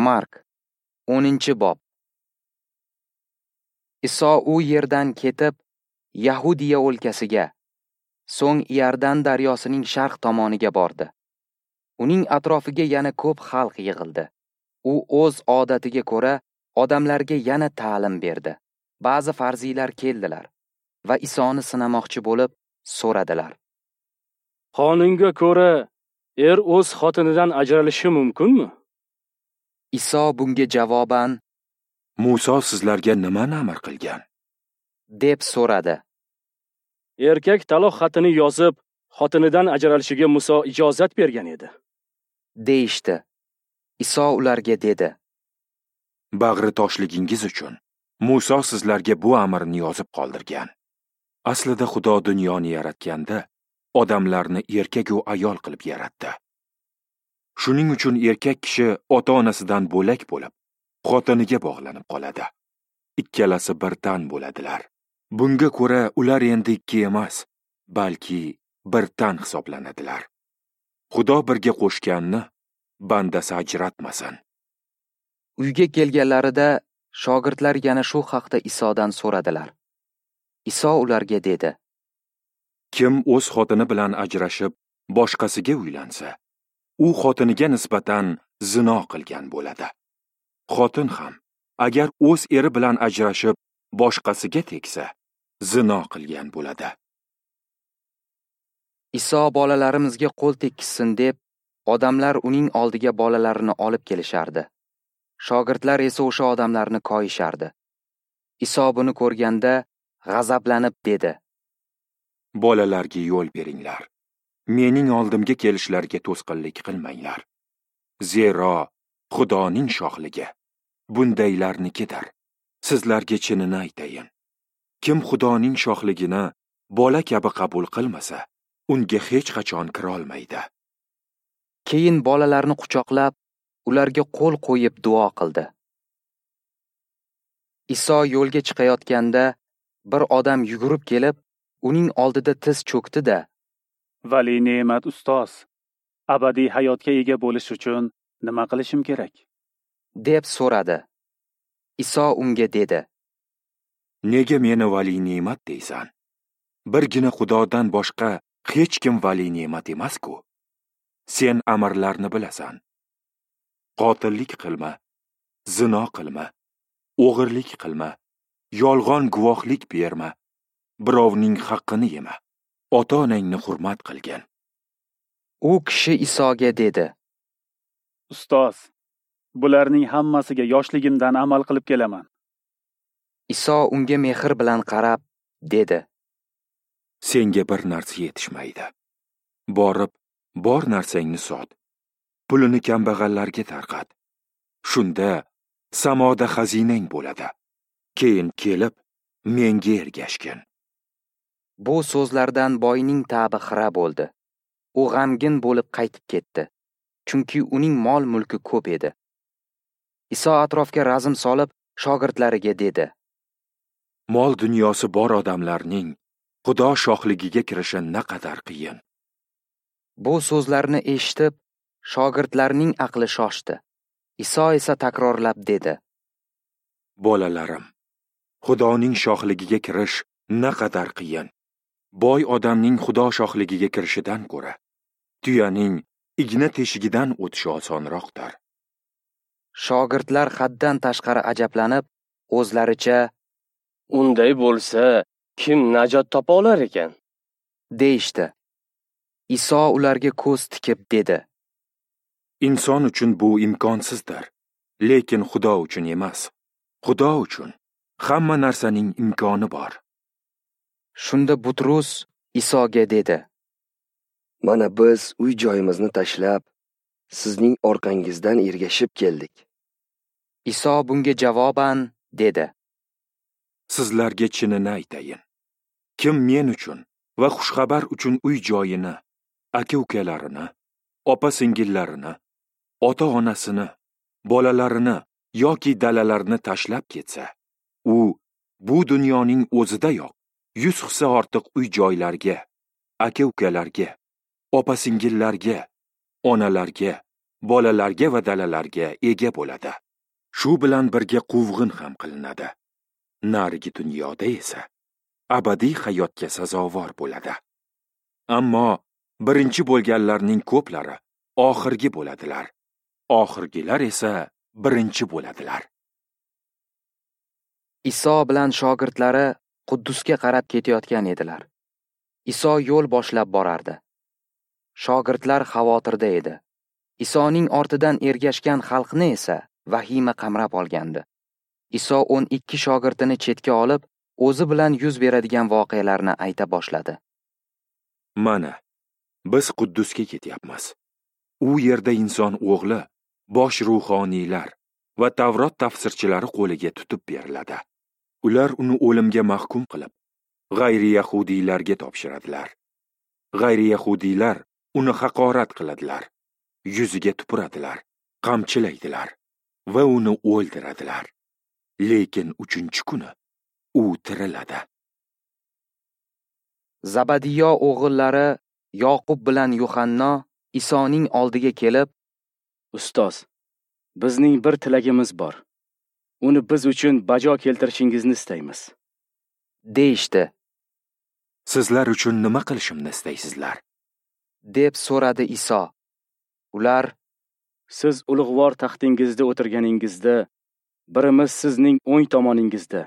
Mark 10-bob. Iso u yerdan ketib, Yahudiya o'lkasiga, so'ng Iordan daryosining sharq tomoniga bordi. Uning atrofiga yana ko'p xalq yig'ildi. U o'z odatiga ko'ra odamlarga yana ta'lim berdi. Ba'zi farziylar keldilar va Isoni sinamoqchi bo'lib so'radilar. Qonunga ko'ra, er o'z xotinidan ajralishi mumkinmi? Iso bunga javoban: Muso sizlarga nimani amr qilgan? deb so'radi. Erkak taloq xatini yozib, xotinidan ajralishiga Muso ijozat bergan edi, deyishdi. Iso ularga dedi: Bag'ri toshligingiz uchun Muso sizlarga bu amrni yozib qoldirgan. Aslida Xudo dunyoni yaratganda odamlarni erkak va ayol qilib yaratdi. Shuning uchun erkak kishi ota-onasidan bo'lak bo'lib, xotiniga bog'lanib qoladi. Ikkalasi bir tan bo'ladilar. Bunga ko'ra ular endi ikki emas, balki bir tan hisoblanadilar. Xudo birga qo'shganni bandasi ajratmasin. Uyga kelganlarida shogirdlar yana shu haqda Isodan so'radilar. Iso ularga dedi: Kim o'z xotini bilan ajrashib, boshqasiga uylansa, u xotiniga nisbatan zino qilgan bo'ladi. Xotin ham agar o'z eri bilan ajrashib, boshqasiga tegsa, zino qilgan bo'ladi. Iso bolalarimizga qo'l tekkizsin deb, odamlar uning oldiga bolalarini olib kelishardi. Shogirdlar esa o'sha odamlarni koyishardi. Iso buni ko'rganda g'azablanib dedi: Bolalarga yo'l beringlar. Mening oldimga kelishlariga to'sqinlik qilmanglar. Zero Xudoning shohligi bundaylarnikidir. Sizlarga chinini aytayin. Kim Xudoning shohligini bola kabi qabul qilmasa, unga hech qachon kira olmaydi. Keyin bolalarni quchoqlab, ularga qo'l qo'yib duo qildi. Iso yo'lga chiqayotganda bir odam yugurib kelib, uning oldida tiz cho'kdi-da: Vali ne'mat ustoz, abadiy hayotga ega bo'lish uchun nima qilishim kerak? deb so'radi. Iso unga dedi: Nega meni vali ne'mat deysan? Birgina Xudodan boshqa hech kim vali ne'mat emas-ku. Sen amrlarni bilasan. Qotillik qilma, zino qilma, o'g'irlik qilma, yolg'on guvohlik berma, birovning haqqini yema, ota-onangni hurmat qilgin. U kishi Isoga dedi: Ustoz, bularning hammasiga yoshligimdan amal qilib kelaman. Iso unga mehr bilan qarab dedi: Senga bir narsa yetishmaydi. Borib, bor narsangni sot. Pulini kambag'allarga tarqat. Shunda samoda xazinang bo'ladi. Keyin kelib menga ergashgin. Bu so'zlardan boyning ta'bi xira bo'ldi. U g'amgin bo'lib qaytib ketdi, chunki uning mol-mulki ko'p edi. Iso atrofga razm solib, shogirdlariga dedi: Mol dunyosi bor odamlarning Xudo shohligiga kirishi naqadar qiyin. Bu so'zlarni eshitib, shogirdlarning aqli shoshdi. Iso esa takrorlab dedi: Bolalarim, Xudoning shohligiga kirish naqadar qiyin. Boy odamning Xudo shohligiga kirishidan ko'ra, tuyaning igna teshigidan o'tishi osonroqdir. Shogirdlar haddan tashqari ajablanib, o'zlaricha: Unday bo'lsa, kim najot topa olar ekan? deyishdi. Iso ularga ko'z tikib dedi: Inson uchun bu imkonsizdir, lekin Xudo uchun emas. Xudo uchun hamma narsaning imkoni bor. Shunda Butrus Isoga dedi: Mana biz uy joyimizni tashlab, sizning orqangizdan ergashib keldik. Iso bunga javoban dedi: Sizlarga chinini aytayin. Kim men uchun va xushxabar uchun uy joyini, aka-ukalarini, opa-singillarini, ota-onasini, bolalarini yoki dalalarini tashlab ketsa, u bu dunyoning o'zidayoq 100 hissa ortiq uy joylarga, aka-ukalarga, opa-singillarga, onalarga, bolalarga va dalalarga ega bo'ladi. Shu bilan birga quvg'in ham qilinadi. Narigi dunyoda esa abadiy hayotga sazovor bo'ladi. Ammo birinchi bo'lganlarning ko'plari oxirgi bo'ladilar. Oxirgilar esa birinchi bo'ladilar. Iso bilan shogirdlari Quddusga qarab ketayotgan edilar. Iso yo'l boshlab borardi. Shogirdlar xavotirda edi. Isoning ortidan ergashgan xalqni esa vahima qamrab olgandi. Iso 12 shogirdini chetga olib, o'zi bilan yuz beradigan voqealarni ayta boshladi. Mana, biz Quddusga ketyapmiz. U yerda inson o'g'li bosh ruhoniylar va Tavrot tafsirchilari qo'liga tutib beriladi. Ular uni o'limga mahkum qilib, g'ayri yahudiylarga topshiradilar. G'ayri yahudiylar uni haqorat qiladilar, yuziga tupuradilar, qamchilaydilar va uni o'ldiradilar. Lekin 3-kuni u tiriladi. Zabadiyo o'g'illari Yoqub bilan Yuhanno Isoning oldiga kelib, "Ustoz, bizning bir tilagimiz bor. Uni biz uchun bajo keltirishingizni istaymiz", deyishdi. "Sizlar uchun nima qilishimni istaysizlar?" deb so'radi Iso. Ular, "Siz ulug'vor taxtingizda o'tirganingizda, birimiz sizning o'ng tomoningizda,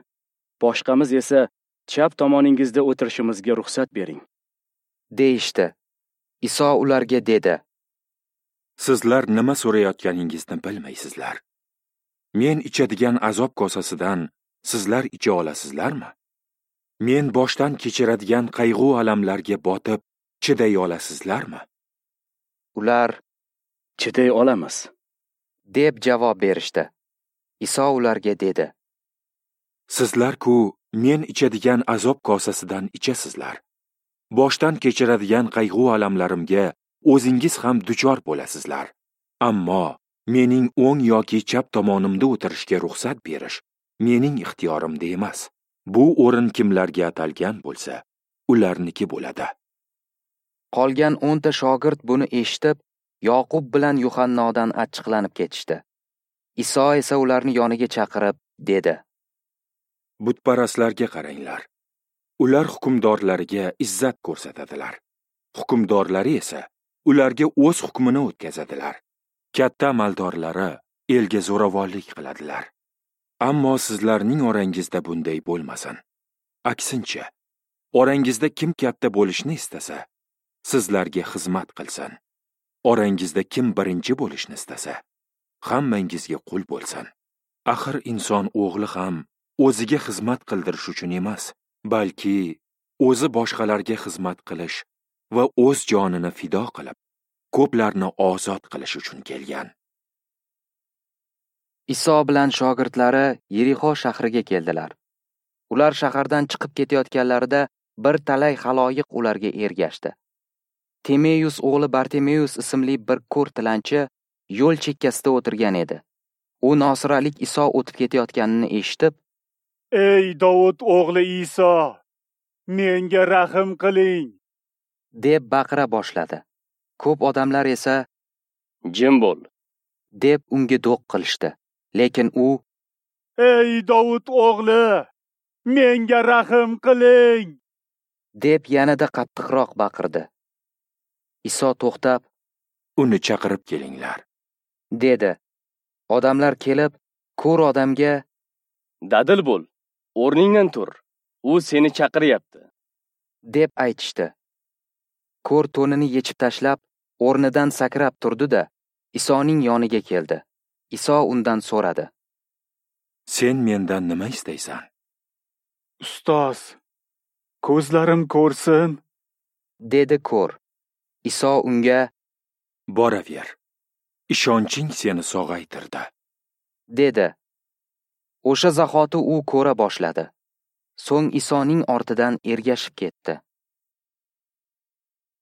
boshqamiz esa chap tomoningizda o'tirishimizga ruxsat bering", deyishdi. Iso ularga dedi: "Sizlar nima so'rayotganingizni bilmaysizlar. Men ichadigan azob kosasidan sizlar icha olasizlarmi? Men boshdan kechiradigan qayg'u alamlarga botib chiday olasizlarmi?" Ular, "Chiday olamiz", deb javob berishdi. Iso ularga dedi: "Sizlar-ku men ichadigan azob kosasidan ichasizlar. Boshdan kechiradigan qayg'u alamlarimga o'zingiz ham duchor bo'lasizlar. Ammo mening o'ng yoki chap tomonimda o'tirishga ruxsat berish mening ixtiyorimda emas. Bu o'rin kimlarga atalgan bo'lsa, ularniki bo'ladi." Qolgan 10 ta shogird buni eshitib, Yoqub bilan Yuhannodan achchiqlanib ketishdi. Iso esa ularni yoniga chaqirib dedi: "Butparastlarga qaranglar. Ular hukmdorlariga izzat ko'rsatadilar. Hukmdorlari esa ularga o'z hukmini o'tkazadilar. Katta amaldorlari elga zo'ravonlik qiladilar. Ammo sizlarning orangizda bunday bo'lmasin. Aksincha, orangizda kim katta bo'lishni istasa, sizlarga xizmat qilsin. Orangizda kim birinchi bo'lishni istasa, hammangizga qul bo'lsin. Axir inson o'g'li ham o'ziga xizmat qildirish uchun emas, balki o'zi boshqalarga xizmat qilish va o'z jonini fido qilib, ko'plarni ozod qilish uchun kelgan." Iso bilan shogirdlari Yerixo shahriga keldilar. Ular shahardan chiqib ketayotganlarida bir talay xaloyiq ularga ergashdi. Timeyus o'g'li Bartimeyus ismli bir ko'r tilanchi yo'l chekkasida o'tirgan edi. U Nosiralik Iso o'tib ketayotganini eshitib, "Ey Dovud o'g'li Iso, menga rahm qiling!" deb baqira boshladi. Ko'p odamlar esa, "Jim bo'l!" deb unga do'q qilishdi. Lekin u, "Ey Dovud o'g'li, menga rahm qiling!" deb yanada qattiqroq baqirdi. Iso to'xtab, "Uni chaqirib kelinglar", dedi. Odamlar kelib, ko'r odamga, "Dadil bo'l, o'rningdan tur, u seni chaqiryapti", deb aytishdi. Ko'r to'nini yechib tashlab, o'rnidan sakrab turdi-da, Isoning yoniga keldi. Iso undan so'radi: "Sen mendan nima istaysan?" "Ustoz, ko'zlarim ko'rsin", dedi ko'r. Iso unga: "Boraver, ishonching seni sog'aytirdi", dedi. O'sha zahoti u ko'ra boshladi. So'ng Isoning ortidan ergashib ketdi.